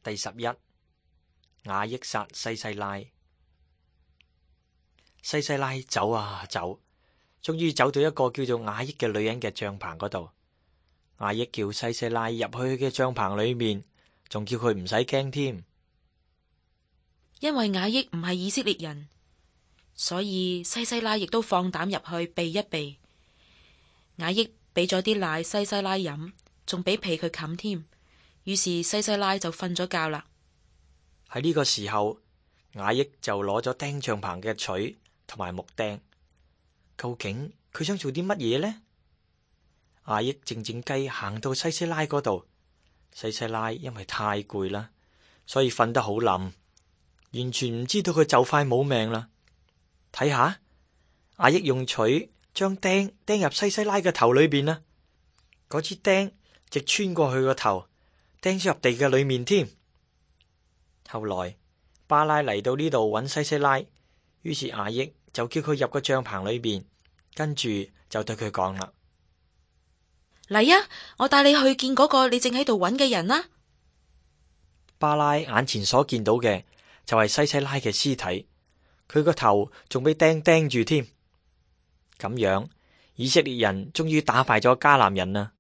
第11，雅億殺西西拉。西西拉走啊走，終於走到一個叫做雅億嘅女人嘅帳棚嗰度。雅億叫西西拉入去佢嘅帳棚裏面，仲叫佢唔使驚添。因為雅億唔係以色列人，所以西西拉亦都放膽入去避一避。雅億俾咗啲奶西西拉飲，仲俾被佢冚添。於是西西拉就瞓咗覺啦。喺呢個時候，雅億就攞咗釘帳棚嘅錘同埋木釘。究竟佢想做啲乜嘢呢？雅億靜靜雞行到西西拉嗰度，西西拉因為太攰啦，所以瞓得好冧，完全唔知道佢就快冇命啦。睇下，雅億用錘將釘釘入西西拉嘅頭裏邊啦，嗰支釘直穿過去個頭，釘咗入地嘅裏面添。後來巴拉嚟到呢度揾西西拉，於是雅億就叫佢入個帳棚裏邊，跟住就對佢講啦：嚟啊，我帶你去見嗰個你正喺度揾嘅人啦。巴拉眼前所見到嘅就係西西拉嘅屍體，佢個頭仲俾釘釘住添。咁樣，以色列人終於打敗咗迦南人啦。